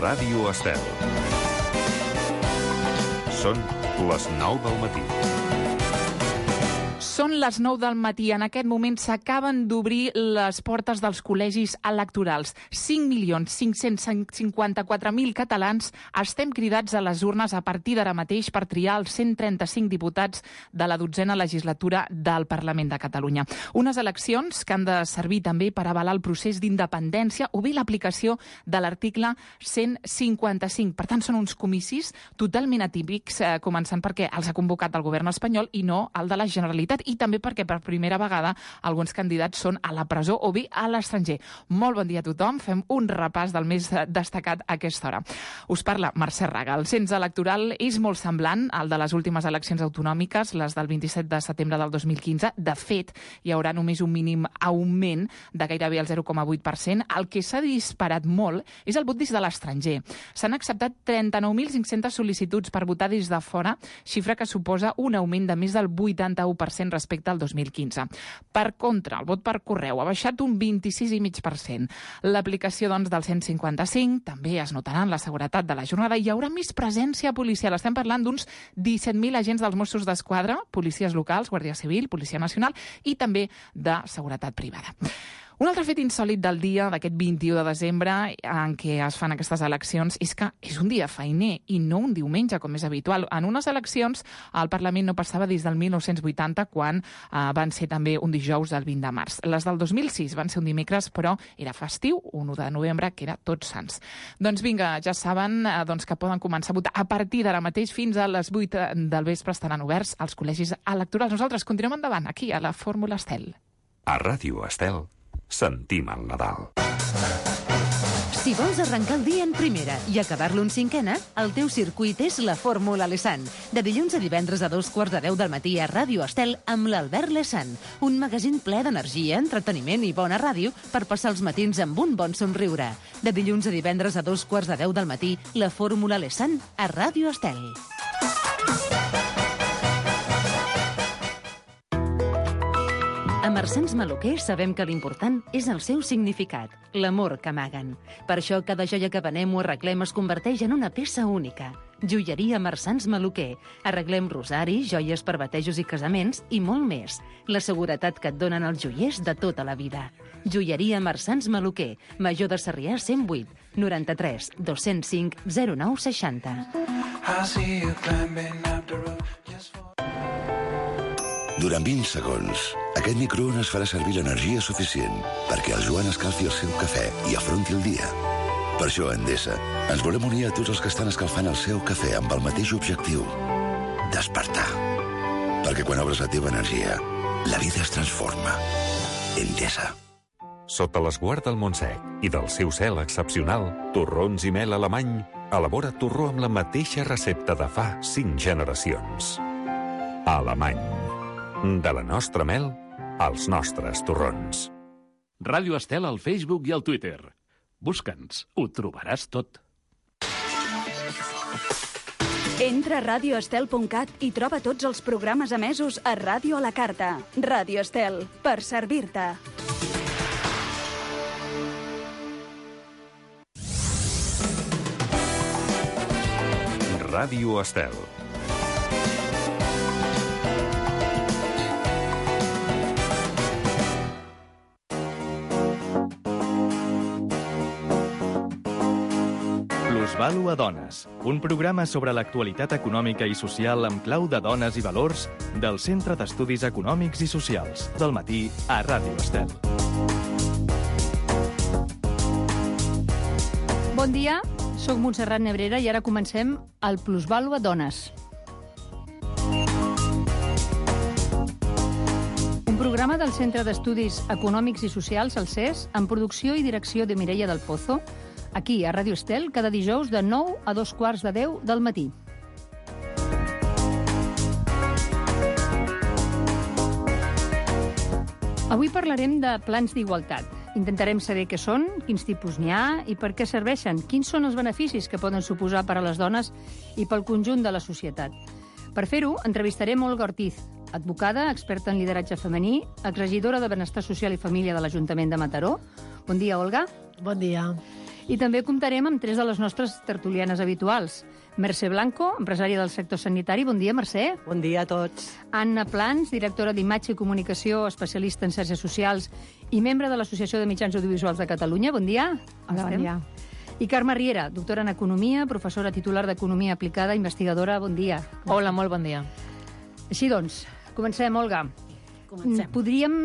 Ràdio Estel. Són les 9 del matí. Són les 9 del matí. En aquest moment s'acaben d'obrir les portes dels col·legis electorals. 5.554.000 catalans estem cridats a les urnes a partir d'ara mateix per triar els 135 diputats de la 12a legislatura del Parlament de Catalunya. Unes eleccions que han de servir també per avalar el procés d'independència o bé l'aplicació de l'article 155. Per tant, són uns comicis totalment atípics, començant perquè els ha convocat el govern espanyol i no el de la Generalitat, i també perquè per primera vegada alguns candidats són a la presó o bé a l'estranger. Molt bon dia a tothom. Fem un repàs del més destacat a aquesta hora. Us parla Mercè Raga. El cens electoral és molt semblant al de les últimes eleccions autonòmiques, les del 27 de setembre del 2015. De fet, hi haurà només un mínim augment de gairebé el 0,8%. El que s'ha disparat molt és el vot des de l'estranger. S'han acceptat 39.500 sol·licituds per votar des de fora, xifra que suposa un augment de més del 81% respecte al 2015. Per contra, el vot per correu ha baixat un 26,5%. L'aplicació, doncs, del 155 també es notarà en la seguretat de la jornada. Hi haurà més presència policial. Estem parlant d'uns 17.000 agents dels Mossos d'Esquadra, policies locals, Guàrdia Civil, Policia Nacional i també de seguretat privada. Un altre fet insòlit del dia d'aquest 21 de desembre en què es fan aquestes eleccions és que és un dia feiner i no un diumenge, com és habitual. En unes eleccions el Parlament no passava des del 1980, quan van ser també un dijous del 20 de març. Les del 2006 van ser un dimecres, però era festiu, un 1 de novembre, que era Tots Sants. Doncs vinga, ja saben que poden començar a votar a partir d'ara mateix fins a les 8 del vespre. Estaran oberts els col·legis electorals. Nosaltres continuem endavant, aquí, a la Fórmula Estel. A Ràdio Estel sentim el Nadal. Si vols arrencar el dia en primera i acabar-lo en cinquena, el teu circuit és la Fórmula Lesan. De dilluns a divendres a 2:15 del matí a Ràdio Estel amb l'Albert Lesan. Un magazín ple d'energia, entreteniment i bona ràdio per passar els matins amb un bon somriure. De dilluns a divendres a 2:15 del matí, la Fórmula Lesan a Ràdio Estel. A Marsans Maluquer sabem que l'important és el seu significat, l'amor que amaguen. Per això cada joia que venem o arreglem es converteix en una peça única. Joieria Marsans Maluquer. Arreglem rosaris, joies per batejos i casaments i molt més. La seguretat que et donen els joiers de tota la vida. Joieria Marsans Maluquer. Major de Sarrià 108 93 205 0960. Durant 20 segons, aquest microones farà servir l'energia suficient perquè el Joan escalfi el seu cafè i afronti el dia. Per això, a Endesa, ens volem unir a tots els que estan escalfant el seu cafè amb el mateix objectiu: despertar. Perquè quan obres la teva energia, la vida es transforma. Endesa. Sota l'esguard del Montsec i del seu cel excepcional, Torrons i Mel Alemany elabora torró amb la mateixa recepta de fa 5 generacions. Alemany. De la nostra mel, als nostres torrons. Ràdio Estel al Facebook i al Twitter. Busca'ns, ho trobaràs tot. Entra a radioestel.cat i troba tots els programes emesos a Ràdio a la Carta. Ràdio Estel, per servir-te. Ràdio Estel. Plusvàlua Dones, un programa sobre l'actualitat econòmica i social amb clau de dones i valors del Centre d'Estudis Econòmics i Socials, del matí a Ràdio Estel. Bon dia, sóc Montserrat Nebrera i ara comencem el Plusvàlua Dones. Un programa del Centre d'Estudis Econòmics i Socials, el CES, amb producció i direcció de Mireia del Pozo, aquí a Ràdio Estel, cada dijous de 9 a 2:15 del matí. Avui parlarem de plans d'igualtat. Intentarem saber què són, quins tipus n'hi ha i per què serveixen, quins són els beneficis que poden suposar per a les dones i pel conjunt de la societat. Per fer-ho, entrevistarem Olga Ortiz, advocada, experta en lideratge femení, exregidora de Benestar Social i Família de l'Ajuntament de Mataró. Bon dia, Olga. Bon dia. I també comptarem amb 3 de les nostres tertulianes habituals. Mercè Blanco, empresària del sector sanitari. Bon dia, Mercè. Bon dia a tots. Anna Plans, directora d'Imatge i Comunicació, especialista en xarxes socials i membre de l'Associació de Mitjans Audiovisuals de Catalunya. Bon dia. Hola, bon dia. I Carme Riera, doctora en Economia, professora titular d'Economia Aplicada, investigadora. Bon dia. Hola, molt bon dia. Així doncs, comencem, Olga. Comencem. Podríem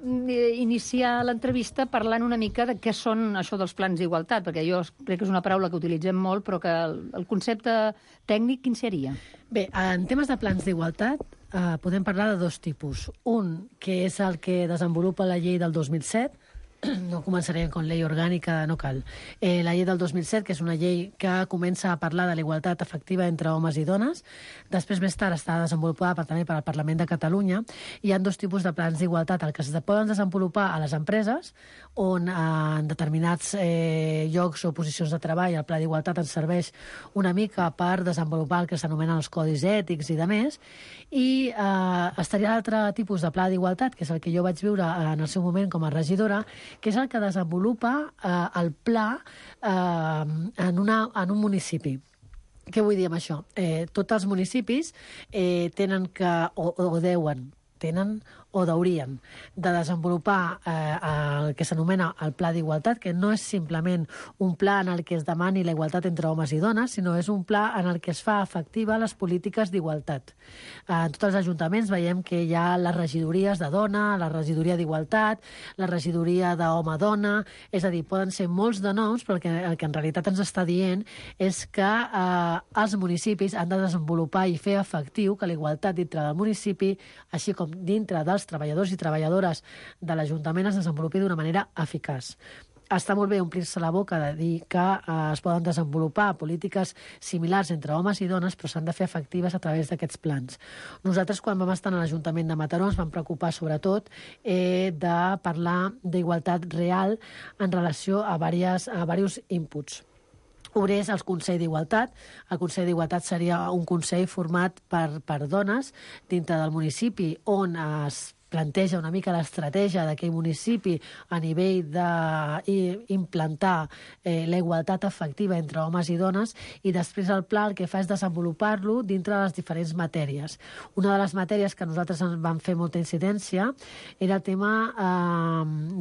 iniciar l'entrevista parlant una mica de què són això dels plans d'igualtat, perquè jo crec que és una paraula que utilitzem molt, però que el concepte tècnic quin seria? Bé, en temes de plans d'igualtat podem parlar de 2 tipus. Un, que és el que desenvolupa la llei del 2007, no començarem amb llei orgànica, no cal. La llei del 2007, que és una llei que comença a parlar de la igualtat efectiva entre homes i dones. Després, més tard, està desenvolupada també per al Parlament de Catalunya. Hi ha 2 tipus de plans d'igualtat, el que es poden desenvolupar a les empreses, on en determinats llocs o posicions de treball el pla d'igualtat ens serveix una mica per desenvolupar el que s'anomenen els codis ètics i demés. I estaria l'altre tipus de pla d'igualtat, que és el que jo vaig viure en el seu moment com a regidora, que és el que desenvolupa el pla en un municipi. Què vull dir amb això? Tots els municipis tenen que, tenen o haurien de desenvolupar el que s'anomena el pla d'igualtat, que no és simplement un pla en el que es demani la igualtat entre homes i dones, sinó és un pla en el que es fa efectiva les polítiques d'igualtat. En tots els ajuntaments veiem que hi ha les regidories de dona, la regidoria d'igualtat, la regidoria d'home-dona, és a dir, poden ser molts de noms, però el que en realitat ens està dient és que els municipis han de desenvolupar i fer efectiu que la igualtat dintre del municipi, així com dintre dels treballadors i treballadores de l'Ajuntament, es desenvolupi d'una manera eficaç. Està molt bé omplir-se la boca de dir que es poden desenvolupar polítiques similars entre homes i dones, però s'han de fer efectives a través d'aquests plans. Nosaltres, quan vam estar a l'Ajuntament de Mataró, ens vam preocupar sobretot de parlar d'igualtat real en relació a diversos inputs. Un és el Consell d'Igualtat. El Consell d'Igualtat seria un consell format per dones dintre del municipi, on es planteja una mica l'estratègia d'aquell municipi a nivell d'implantar la igualtat efectiva entre homes i dones, i després el pla el que fa és desenvolupar-lo dintre de les diferents matèries. Una de les matèries que nosaltres ens vam fer molta incidència era el tema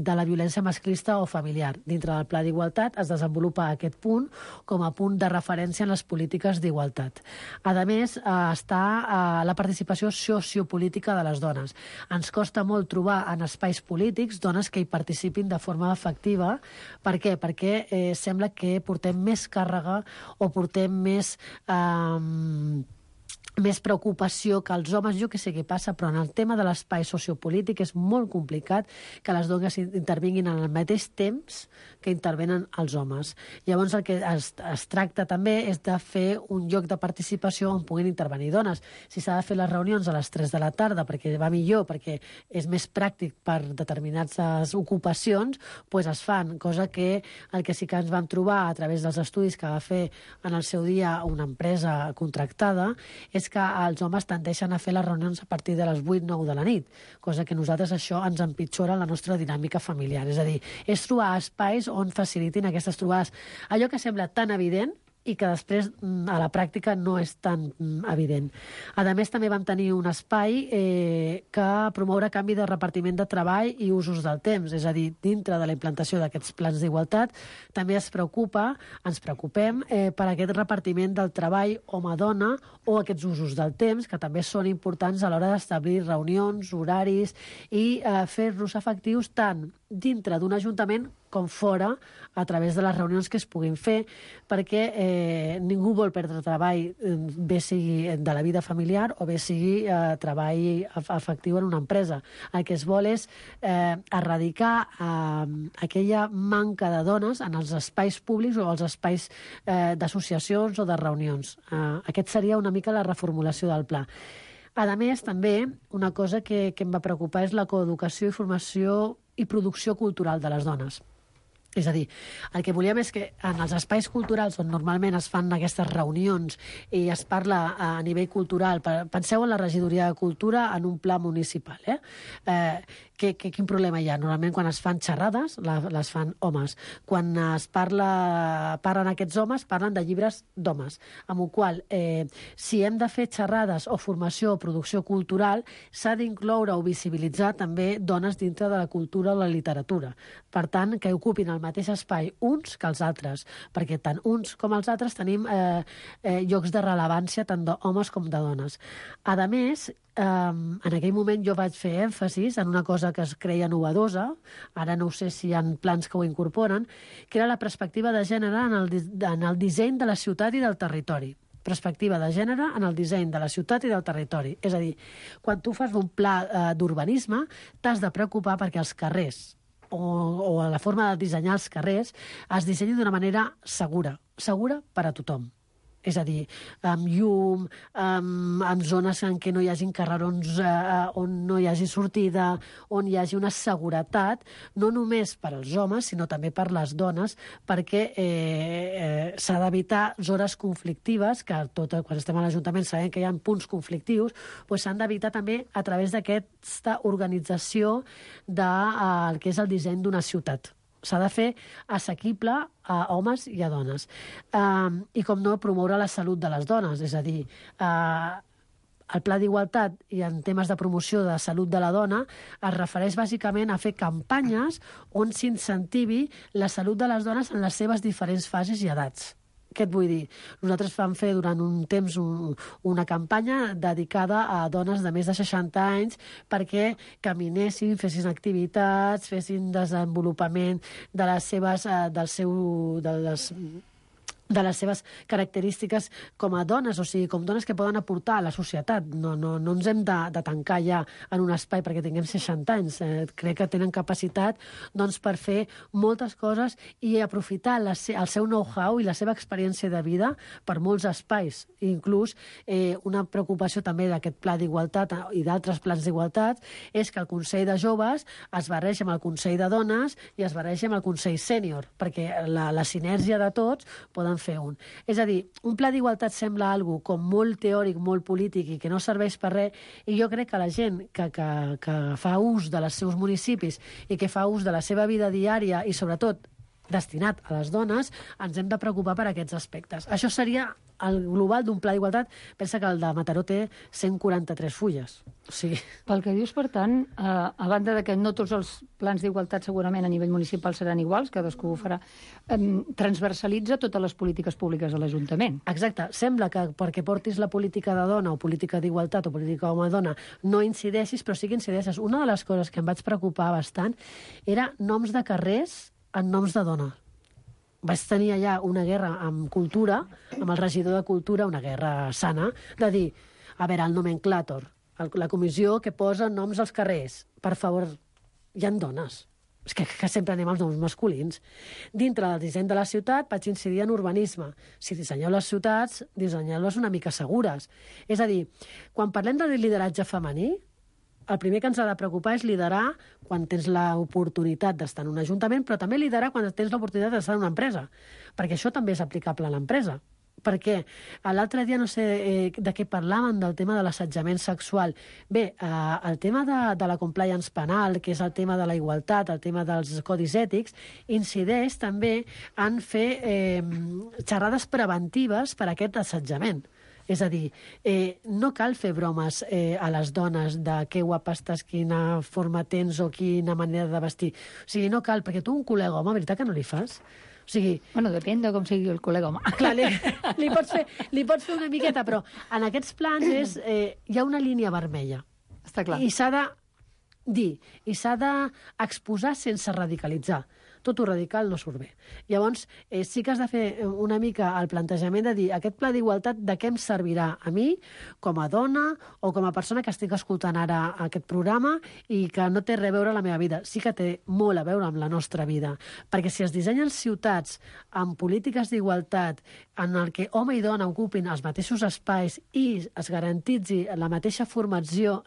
de la violència masclista o familiar. Dintre del pla d'igualtat es desenvolupa aquest punt com a punt de referència en les polítiques d'igualtat. A més, està la participació sociopolítica de les dones. Ens costa molt trobar en espais polítics dones que hi participin de forma efectiva. Per què? Perquè sembla que portem més càrrega o portem més preocupació que els homes. Jo que sé què passa, però en el tema de l'espai sociopolític és molt complicat que les dones intervinguin en el mateix temps que intervenen els homes. Llavors el que es tracta també és de fer un lloc de participació on puguin intervenir dones. Si s'ha de fer les reunions a les 3 de la tarda perquè va millor, perquè és més pràctic per determinades ocupacions, doncs es fan, cosa que el que sí que ens vam trobar a través dels estudis que va fer en el seu dia una empresa contractada és que els homes tendeixen a fer les reunions a partir de les 8-9 de la nit, cosa que nosaltres això ens empitjora la nostra dinàmica familiar. És a dir, és trobar espais on facilitin aquestes trobades. Allò que sembla tan evident i que després a la pràctica no és tan evident. A més, també vam tenir un espai que promoure canvi de repartiment de treball i usos del temps, és a dir, dintre de la implantació d'aquests plans d'igualtat també ens preocupem per aquest repartiment del treball home-dona o aquests usos del temps, que també són importants a l'hora d'establir reunions, horaris i fer-los efectius tant dintre d'un ajuntament com fora, a través de les reunions que es puguin fer, perquè ningú vol perdre treball, bé sigui de la vida familiar o bé sigui treball efectiu en una empresa. El que es vol és erradicar aquella manca de dones en els espais públics o els espais d'associacions o de reunions. Aquest seria una mica la reformulació del pla. A més, també, una cosa que em va preocupar és la coeducació i formació i producció cultural de les dones. És a dir, el que volíem és que en els espais culturals on normalment es fan aquestes reunions i es parla a nivell cultural, penseu en la regidoria de cultura en un pla municipal, quin problema hi ha? Normalment quan es fan xerrades les fan homes. Quan parlen aquests homes, parlen de llibres d'homes. Amb la qual si hem de fer xerrades o formació o producció cultural, s'ha d'incloure o visibilitzar també dones dintre de la cultura o la literatura. Per tant, que ocupin el mateix espai uns que els altres, perquè tant uns com els altres tenim llocs de rellevància tant d'homes com de dones. A més, en aquell moment jo vaig fer èmfasis en una cosa que es creia novedosa, ara no sé si hi ha plans que ho incorporen, que era la perspectiva de gènere en el disseny de la ciutat i del territori. Perspectiva de gènere en el disseny de la ciutat i del territori. És a dir, quan tu fas un pla d'urbanisme, t'has de preocupar perquè els carrers o la forma de dissenyar els carrers es dissenyi d'una manera segura per a tothom. És a dir, amb llum, amb zones en què no hi hagi carrerons on no hi hagi sortida, on hi hagi una seguretat, no només per als homes, sinó també per les dones, perquè s'ha d'evitar zones conflictives, que quan estem a l'Ajuntament sabem que hi ha punts conflictius, doncs s'han d'evitar també a través d'aquesta organització del que és el disseny d'una ciutat. S'ha de fer assequible a homes i a dones. I, com no, promoure la salut de les dones. És a dir, el Pla d'Igualtat i en temes de promoció de salut de la dona es refereix bàsicament a fer campanyes on s'incentivi la salut de les dones en les seves diferents fases i edats. Què et vull dir? Nosaltres vam fer durant un temps una campanya dedicada a dones de més de 60 anys perquè caminessin, fessin activitats, fessin desenvolupament de les seves característiques com a dones, o sigui, com dones que poden aportar a la societat. No ens hem de tancar ja en un espai perquè tinguem 60 anys. Crec que tenen capacitat per fer moltes coses i aprofitar el seu know-how i la seva experiència de vida per molts espais. Inclús una preocupació també d'aquest Pla d'Igualtat i d'altres plans d'igualtat és que el Consell de Joves es barregi amb el Consell de Dones i es barregi amb el Consell Sènior, perquè la sinergia de tots poden fer un. És a dir, un pla d'igualtat sembla algo com molt teòric, molt polític i que no serveix per res, i jo crec que la gent que fa ús dels seus municipis i que fa ús de la seva vida diària i sobretot destinat a les dones, ens hem de preocupar per aquests aspectes. Això seria el global d'un pla d'igualtat. Pensa que el de Mataró té 143 fulles. O sigui... Pel que dius, per tant, a banda de que no tots els plans d'igualtat segurament a nivell municipal seran iguals, cadascú ho farà, transversalitza totes les polítiques públiques de l'Ajuntament. Exacte. Sembla que perquè portis la política de dona o política d'igualtat o política home-dona no incideixis, però sí que incideixes. Una de les coses que em vaig preocupar bastant era noms de carrers en noms de dona. Vaig tenir allà una guerra amb cultura, amb el regidor de cultura, una guerra sana, de dir, a veure, el nomenclàtor, la comissió que posa noms als carrers, per favor, hi ha dones. És que sempre anem als noms masculins. Dintre del disseny de la ciutat vaig incidir en urbanisme. Si dissenyeu les ciutats, dissenyeu-les una mica segures. És a dir, quan parlem de lideratge femení, el primer que ens ha de preocupar és liderar quan tens l'oportunitat d'estar en un ajuntament, però també liderar quan tens l'oportunitat d'estar en una empresa, perquè això també és aplicable a l'empresa. Perquè l'altre dia no sé de què parlàvem, del tema de l'assetjament sexual. Bé, el tema de la compliance penal, que és el tema de la igualtat, el tema dels codis ètics, incideix també en fer xerrades preventives per a aquest assetjament. És a dir, no cal fer bromes a les dones de que guapa estàs, quina forma tens o quina manera de vestir. O sigui, no cal, perquè tu un col·lega home, veritat que no li fas? O sigui... Bueno, depèn de com sigui el col·lega home. Clar, li pots fer una miqueta, però en aquests plans hi ha una línia vermella. Està clar. I s'ha de dir, i s'ha d'exposar sense radicalitzar. Tot ho radical no surt bé. Llavors, sí que has de fer una mica el plantejament de dir aquest pla d'igualtat de què em servirà a mi, com a dona o com a persona que estic escoltant ara aquest programa i que no té res a veure amb la meva vida. Sí que té molt a veure amb la nostra vida, perquè si es dissenyen ciutats amb polítiques d'igualtat en el que home i dona ocupin els mateixos espais i es garantitzi la mateixa formació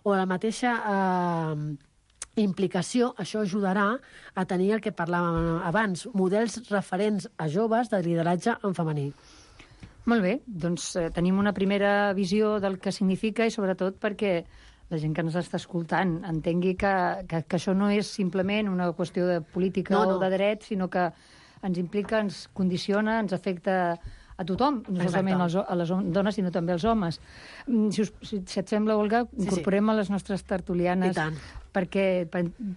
o la mateixa implicació, això ajudarà a tenir el que parlàvem abans, models referents a joves de lideratge en femení. Molt bé, doncs tenim una primera visió del que significa i sobretot perquè la gent que ens està escoltant entengui que això no és simplement una qüestió de política o de dret, sinó que ens implica, ens condiciona, ens afecta a tothom, no solament a les dones, sinó també als homes. Si et sembla, Olga, incorporem a les nostres tertulianes perquè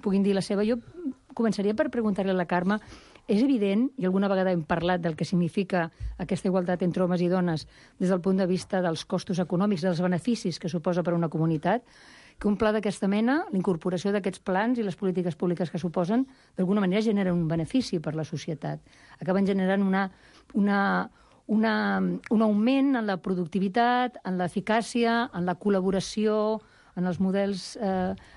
puguin dir la seva. Jo començaria per preguntar-li a la Carme, és evident, i alguna vegada hem parlat del que significa aquesta igualtat entre homes i dones des del punt de vista dels costos econòmics, dels beneficis que suposa per a una comunitat, que un pla d'aquesta mena, la incorporació d'aquests plans i les polítiques públiques que suposen, d'alguna manera generen un benefici per la societat. Acaben generant un augment en la productivitat, en l'eficàcia, en la col·laboració, en els models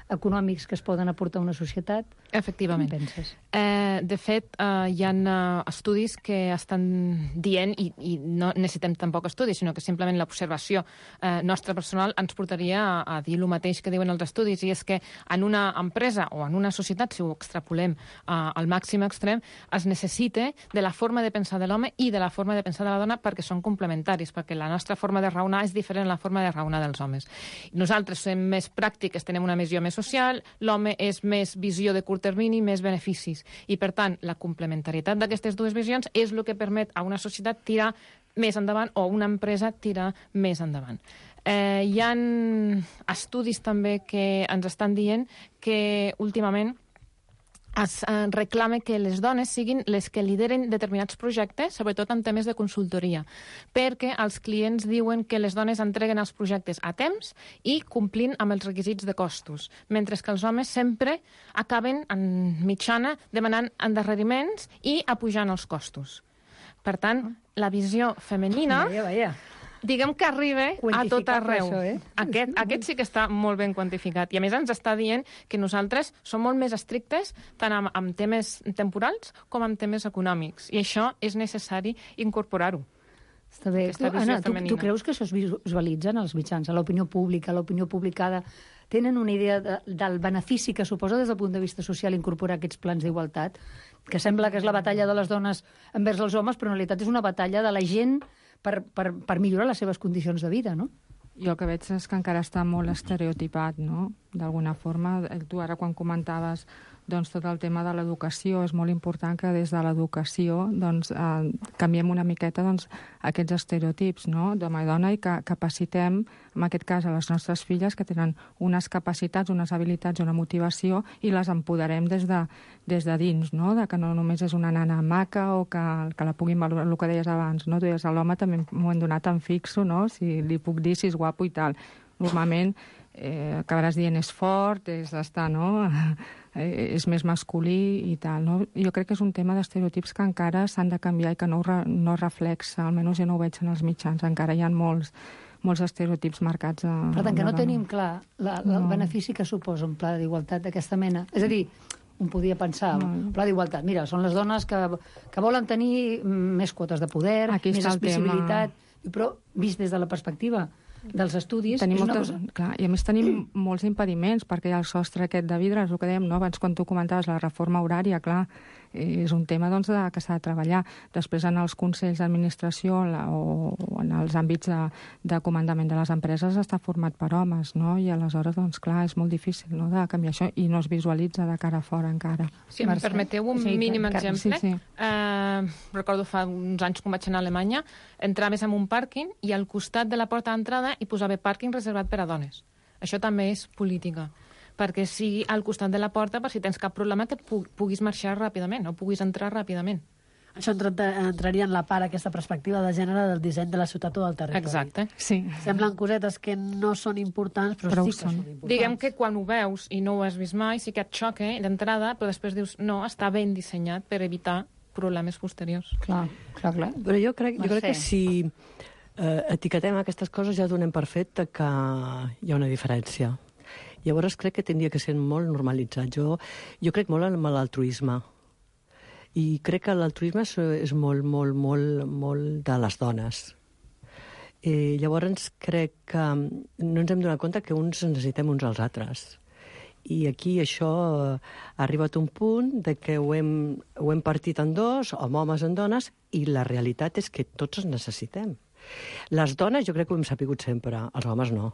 econòmics que es poden aportar a una societat. Efectivament. Què penses? De fet, hi ha estudis que estan dient, i no necessitem tampoc estudis, sinó que simplement l'observació nostra personal ens portaria a dir el mateix que diuen els estudis, i és que en una empresa o en una societat, si ho extrapolem al màxim extrem, es necessita de la forma de pensar de l'home i de la forma de pensar de la dona perquè són complementaris, perquè la nostra forma de raonar és diferent a la forma de raonar dels homes. Nosaltres som més pràctiques, tenem una visió més social, l'home és més visió de curt termini, més beneficis. I, per tant, la complementarietat d'aquestes dues visions és el que permet a una societat tirar més endavant o una empresa tirar més endavant. Hi ha estudis també que ens estan dient que últimament es reclama que les dones siguin les que lideren determinats projectes, sobretot en temes de consultoria, perquè els clients diuen que les dones entreguen els projectes a temps i complint amb els requisits de costos, mentre que els homes sempre acaben, en mitjana, demanant endarreriments i apujant els costos. Per tant, la visió femenina... diguem que arriba a tot arreu. Això, aquest sí que està molt ben quantificat. I a més ens està dient que nosaltres som molt més estrictes tant amb temes temporals com amb temes econòmics. I això és necessari incorporar-ho. Està bé. Anna, tu creus que això es visualitza en els mitjans, a l'opinió pública, a l'opinió publicada? Tenen una idea del benefici que suposa des del punt de vista social incorporar aquests plans d'igualtat? Que sembla que és la batalla de les dones envers els homes, però en realitat és una batalla de la gent per millorar les seves condicions de vida, no? Jo el que veig és que encara està molt estereotipat, no? D'alguna forma, tu ara quan comentaves doncs, tot el tema de l'educació, és molt important que des de l'educació doncs, canviem una miqueta doncs, aquests estereotips, no? D'home i dona, i que capacitem, en aquest cas, a les nostres filles que tenen unes capacitats, unes habilitats, una motivació, i les empoderem des de dins, no? De que no només és una nana maca o que la puguin valorar, el que deies abans, no? Tu deies, a l'home també m'ho hem donat en fixo, no? Si li puc dir si és guapo i tal. Normalment acabaràs dient és fort, és d'estar, no? És més masculí i tal, no? Jo crec que és un tema d'estereotips que encara s'han de canviar i que no reflexa, almenys jo no ho veig en els mitjans, encara hi ha molts estereotips marcats. Per tant, que no tenim clar el benefici que suposa un pla d'igualtat d'aquesta mena. És a dir, un podia pensar, un pla d'igualtat, mira, són les dones que volen tenir més quotes de poder, més accessibilitat, però vist des de la perspectiva dels estudis... Clar, i a més tenim molts impediments, perquè hi ha el sostre aquest de vidre, és el que dèiem, no? Abans quan tu comentaves la reforma horària, clar, és un tema doncs, que s'ha de treballar. Després en els consells d'administració o en els àmbits de comandament de les empreses està format per homes, no? I aleshores, doncs clar, és molt difícil, no?, de canviar això, i no es visualitza de cara a fora encara. Si em permeteu un mínim exemple, recordo fa uns anys quan vaig anar a Alemanya, entraves en un pàrquing i al costat de la porta d'entrada hi posava pàrquing reservat per a dones. Això també és política, perquè sigui al costat de la porta per si tens cap problema que puguis marxar ràpidament o puguis entrar ràpidament. Això entraria en la part, aquesta perspectiva de gènere del disseny de la ciutat o del territori. Exacte. Sí. Semblen cosetes que no són importants, però sí que són importants. Diguem que quan ho veus i no ho has vist mai, sí que et xoca d'entrada, però després dius, no, està ben dissenyat per evitar problemes posteriors. Clar. Però jo crec que si etiquetem aquestes coses ja donem per fet que hi ha una diferència. Llavors crec que tindria que ser molt normalitzat. Jo crec molt en l'altruisme. I crec que l'altruisme és molt, molt, molt, molt de les dones. Llavors crec que no ens hem donat compte que uns necessitem uns als altres. I aquí això ha arribat a un punt de que ho hem partit en dos, homes en dones, i la realitat és que tots ens necessitem. Les dones jo crec que ho hem sapigut sempre, els homes no.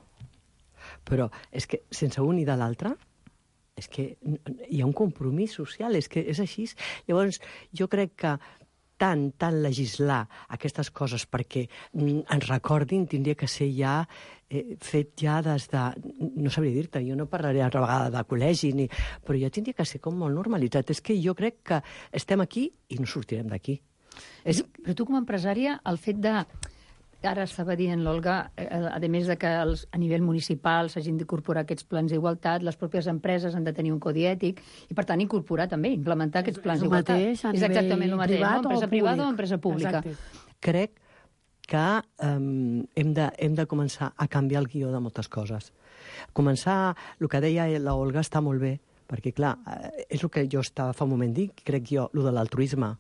però és que sense un i de l'altre és que hi ha un compromís social, és que és així. Llavors, jo crec que tant legislar aquestes coses perquè ens recordin tindria que ser ja fet ja des de... No sabria dir-te, jo no parlaré altra vegada de col·legi, però ja tindria que ser com molt normalitzat. És que jo crec que estem aquí i no sortirem d'aquí. Però tu com a empresària, el fet de... Ara estava dient l'Olga, a més de que a nivell municipal s'hagin d'incorporar aquests plans d'igualtat, les pròpies empreses han de tenir un codi ètic i, per tant, incorporar també, implementar aquests plans d'igualtat. És exactament el mateix, no? Empresa privada o empresa pública. Crec que hem de començar a canviar el guió de moltes coses. Començar, el que deia l'Olga està molt bé, perquè, clar, és el que jo estava fa un moment dic, crec jo, el de l'altruisme,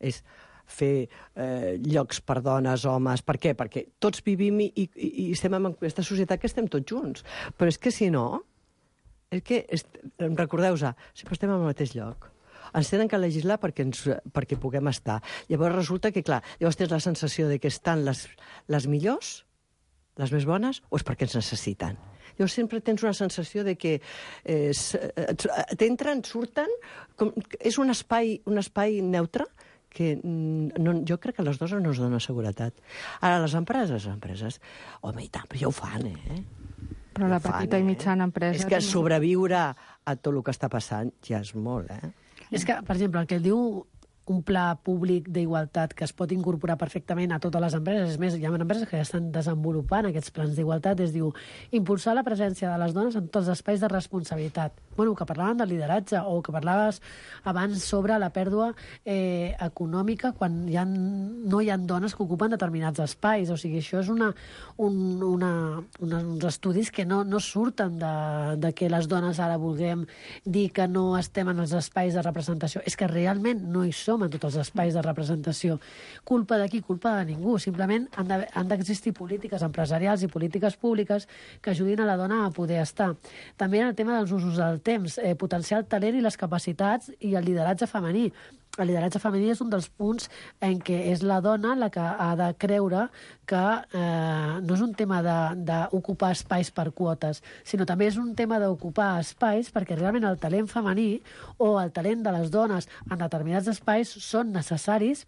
és fer llocs per dones, homes... Per què? Perquè tots vivim i estem en aquesta societat que estem tots junts. Però és que si no, és que, recordeu-vos, sempre estem al mateix lloc. Ens tenen que legislar perquè puguem estar. Llavors resulta que, clar, llavors tens la sensació de que estan les millors, les més bones, o és perquè ens necessiten? Llavors sempre tens una sensació de que t'entren, surten... És un espai neutre que jo crec que a les dones no ens dona seguretat. Ara, les empreses, home, i tant, però ja ho fan, Però la petita i mitjana empresa... És que sobreviure a tot el que està passant ja és molt, És que, per exemple, el que diu un pla públic d'igualtat que es pot incorporar perfectament a totes les empreses. És més, hi ha empreses que ja estan desenvolupant aquests plans d'igualtat. Es diu impulsar la presència de les dones en tots els espais de responsabilitat. Bueno, que parlaven del lideratge o que parlaves abans sobre la pèrdua econòmica quan no hi ha dones que ocupen determinats espais. O sigui, això és uns estudis que no surten de que les dones ara vulguem dir que no estem en els espais de representació. És que realment no hi som en tots els espais de representació. Culpa de qui? Culpa de ningú. Simplement han d'existir polítiques empresarials i polítiques públiques que ajudin a la dona a poder estar. També en el tema dels usos del temps, potenciar el talent i les capacitats i el lideratge femení. El lideratge femení és un dels punts en què és la dona la que ha de creure que no és un tema d'ocupar espais per quotes, sinó també és un tema d'ocupar espais perquè realment el talent femení o el talent de les dones en determinats espais són necessaris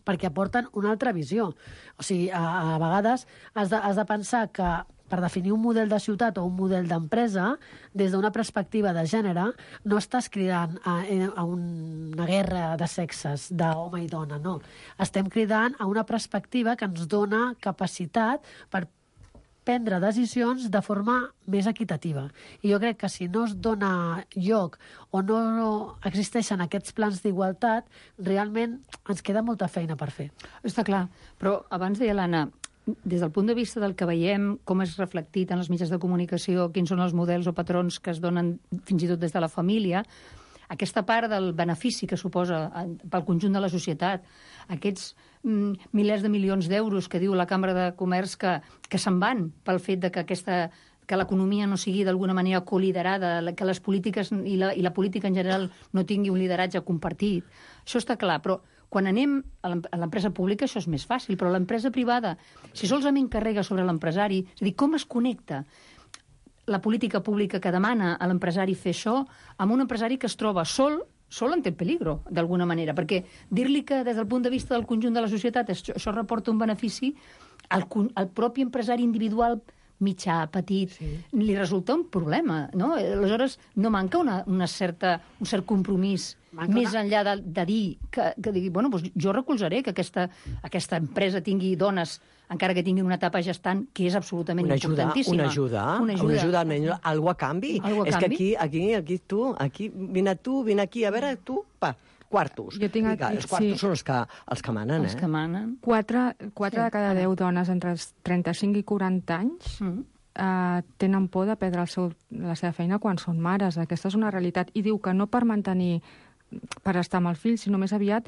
perquè aporten una altra visió. O sigui, a vegades has de pensar que per definir un model de ciutat o un model d'empresa, des d'una perspectiva de gènere, no estàs cridant a una guerra de sexes, d'home i dona, no. Estem cridant a una perspectiva que ens dona capacitat per prendre decisions de forma més equitativa. I jo crec que si no es dona lloc o no existeixen aquests plans d'igualtat, realment ens queda molta feina per fer. Està clar, però abans deia l'Anna, des del punt de vista del que veiem, com és reflectit en els mitjans de comunicació, quins són els models o patrons que es donen fins i tot des de la família, aquesta part del benefici que suposa pel conjunt de la societat, aquests milers de milions d'euros que diu la Cambra de Comerç que se'n van pel fet de que l'economia no sigui d'alguna manera coliderada, que les polítiques i la política en general no tingui un lideratge compartit. Això està clar, però quan anem a l'empresa pública això és més fàcil, però l'empresa privada, si solament carrega sobre l'empresari, és a dir, com es connecta la política pública que demana a l'empresari fer això amb un empresari que es troba sol en té peligro, d'alguna manera, perquè dir-li que des del punt de vista del conjunt de la societat això reporta un benefici al propi empresari individual mitjà, petit, li resulta un problema, no? Aleshores, no manca un cert compromís més enllà de dir que digui, bueno, doncs jo recolzaré que aquesta empresa tingui dones, encara que tinguin una etapa gestant, que és absolutament importantíssima. Una ajuda, almenys, algo a canvi. És que aquí, vine aquí, a veure, tu, quartos. Jo tinc aquí, els quartos són els que manen, Els que manen. 4 de cada 10 dones entre els 35 i 40 anys tenen por de perdre la seva feina quan són mares. Aquesta és una realitat. I diu que no per estar amb el fill, sinó més aviat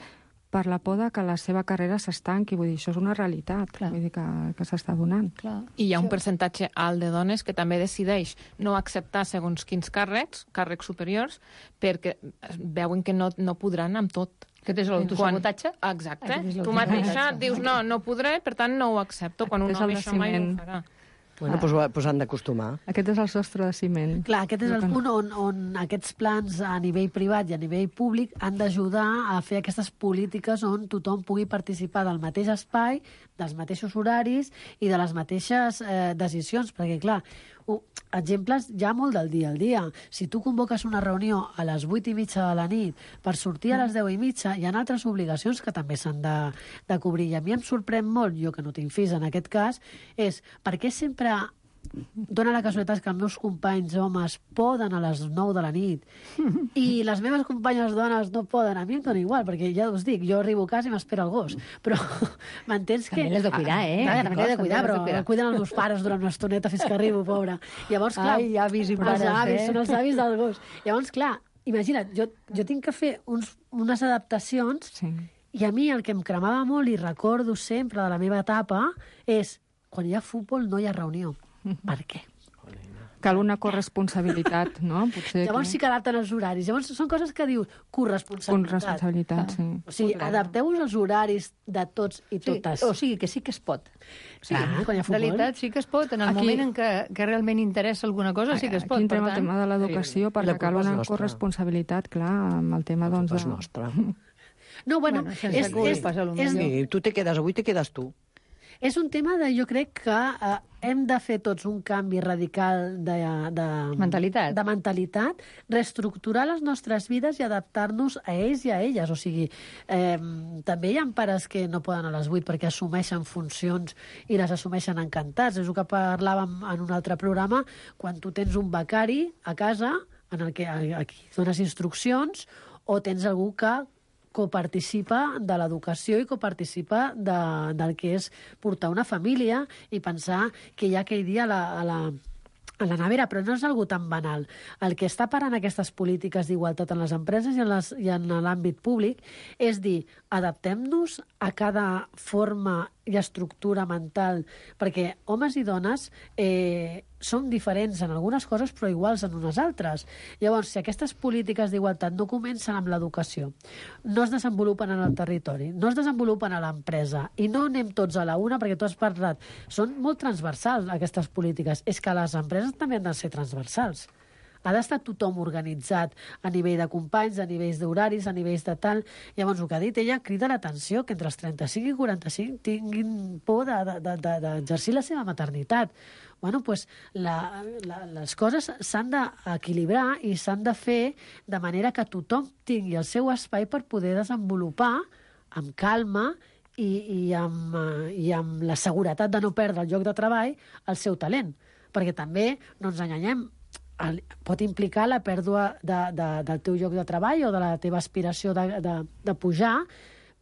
per la por que la seva carrera s'estanqui. Vull dir, això és una realitat. Vull dir que s'està donant. I hi ha un percentatge alt de dones que també decideix no acceptar segons quins càrrecs superiors, perquè veuen que no podran amb tot. Aquest és l'autosabotatge? Exacte. Tu mateixa dius, no podré, per tant no ho accepto, quan un home això mai ho farà. Bueno, doncs han d'acostumar. Aquest és el sostre de ciment. Clar, aquest és el punt on aquests plans a nivell privat i a nivell públic han d'ajudar a fer aquestes polítiques on tothom pugui participar del mateix espai, dels mateixos horaris i de les mateixes decisions, perquè, clar, exemples ja molt del dia al dia. Si tu convoques una reunió a les 8:30 de la nit per sortir a les 10:30, hi ha altres obligacions que també s'han de cobrir. I a mi em sorprèn molt, jo que no tinc fills en aquest cas, és per què sempre dona la casualitat que els meus companys homes poden a les 9 de la nit i les meves companyes dones no poden. A mi em dona igual, perquè ja us dic, jo arribo a casa i m'espera el gos. Però m'entens que... També l'has de cuidar, Clar, també l'he de cuidar, però el cuiden els meus pares durant una estoneta fins que arribo, pobra. Llavors, clar... Ai, avis i pares, els avis, són els avis del gos. Llavors, clar, imagina't, jo tinc que fer unes adaptacions i a mi el que em cremava molt i recordo sempre de la meva etapa és quan hi ha futbol no hi ha reunió. Per què? Cal una corresponsabilitat, no? Potser llavors sí que adapten els horaris. Llavors són coses que dius corresponsabilitat, sí. O sigui, adapteu-vos els horaris de tots i totes. O sigui, que sí que es pot. Sí, quan hi ha futbol. En realitat sí que es pot. En el moment en què realment interessa alguna cosa sí que es pot. Aquí entrem el tema de l'educació, perquè cal una corresponsabilitat, clar, amb el tema, doncs... És nostra. No, bueno, sí, tu te quedes, avui te quedes tu. És un tema de, jo crec que hem de fer tots un canvi radical de mentalitat, reestructurar les nostres vides i adaptar-nos a ells i a elles. O sigui, també hi ha pares que no poden a les 8 perquè assumeixen funcions i les assumeixen encantats. És el que parlàvem en un altre programa, quan tu tens un becari a casa en el que aquí dones instruccions o tens algú que coparticipa de l'educació i coparticipa del que és portar una família i pensar que hi ha aquell dia a la nevera, però no és algo tan banal. El que està parant aquestes polítiques d'igualtat en les empreses i en l'àmbit públic és dir, adaptem-nos a cada forma i estructura mental, perquè homes i dones som diferents en algunes coses però iguals en unes altres. Llavors, si aquestes polítiques d'igualtat no comencen amb l'educació, no es desenvolupen en el territori, no es desenvolupen a l'empresa i no anem tots a la una, perquè tu has parlat, són molt transversals aquestes polítiques. És que les empreses també han de ser transversals. Ha d'estar tothom organitzat a nivell de companys, a nivells d'horaris, a nivells de tal. Llavors, el que ha dit ella crida l'atenció que entre els 35 i 45 tinguin por d'exercir la seva maternitat. Bueno, doncs les coses s'han d'equilibrar i s'han de fer de manera que tothom tingui el seu espai per poder desenvolupar amb calma i amb la seguretat de no perdre el lloc de treball el seu talent. Perquè també, no ens enganyem, pot implicar la pèrdua del teu lloc de treball o de la teva aspiració de pujar,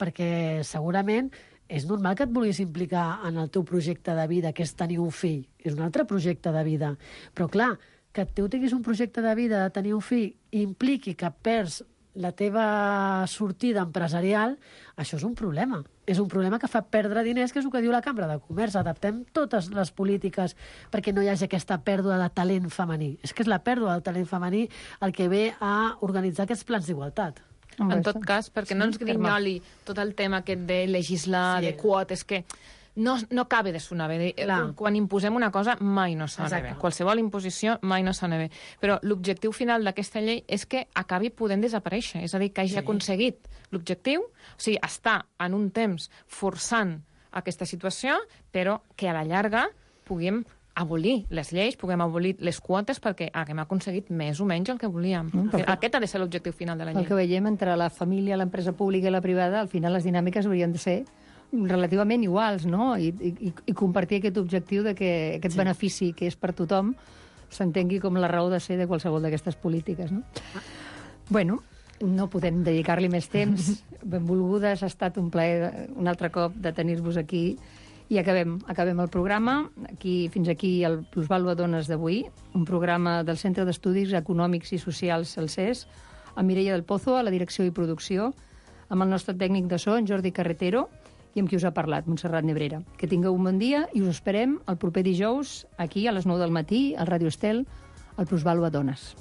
perquè segurament és normal que et vulguis implicar en el teu projecte de vida, que és tenir un fill. És un altre projecte de vida. Però, clar, que tu tinguis un projecte de vida de tenir un fill i impliqui que perds la teva sortida empresarial, això és un problema. És un problema que fa perdre diners, que és el que diu la Cambra de Comerç. Adaptem totes les polítiques perquè no hi hagi aquesta pèrdua de talent femení. És que és la pèrdua del talent femení el que ve a organitzar aquests plans d'igualtat. En tot cas, perquè no ens grinyoli tot el tema aquest de legislar, de quotes, que no acaba de sonar bé. Quan imposem una cosa mai no sona bé. Qualsevol imposició mai no sona bé. Però l'objectiu final d'aquesta llei és que acabi podent desaparèixer. És a dir, que hagi aconseguit l'objectiu, o sigui, està en un temps forçant aquesta situació, però que a la llarga puguem abolir les lleis, puguem abolir les quotes perquè haguem aconseguit més o menys el que volíem. Aquest ha de ser l'objectiu final de la llei. El que veiem entre la família, l'empresa pública i la privada, al final les dinàmiques haurien de ser relativament iguals, no? I compartir aquest objectiu de que aquest benefici que és per tothom s'entengui com la raó de ser de qualsevol d'aquestes polítiques, no? Bueno, no podem dedicar-li més temps. Benvolgudes, ha estat un plaer un altre cop de tenir-vos aquí. I acabem el programa. Fins aquí el Plusvàlua Dones d'avui, un programa del Centre d'Estudis Econòmics i Socials, el CES, amb Mireia del Pozo, a la direcció i producció, amb el nostre tècnic de so, en Jordi Carretero, i amb qui us ha parlat, Montserrat Nebrera. Que tingueu un bon dia i us esperem el proper dijous, aquí a les 9 del matí, al Ràdio Estel, al Plusvàlua Dones.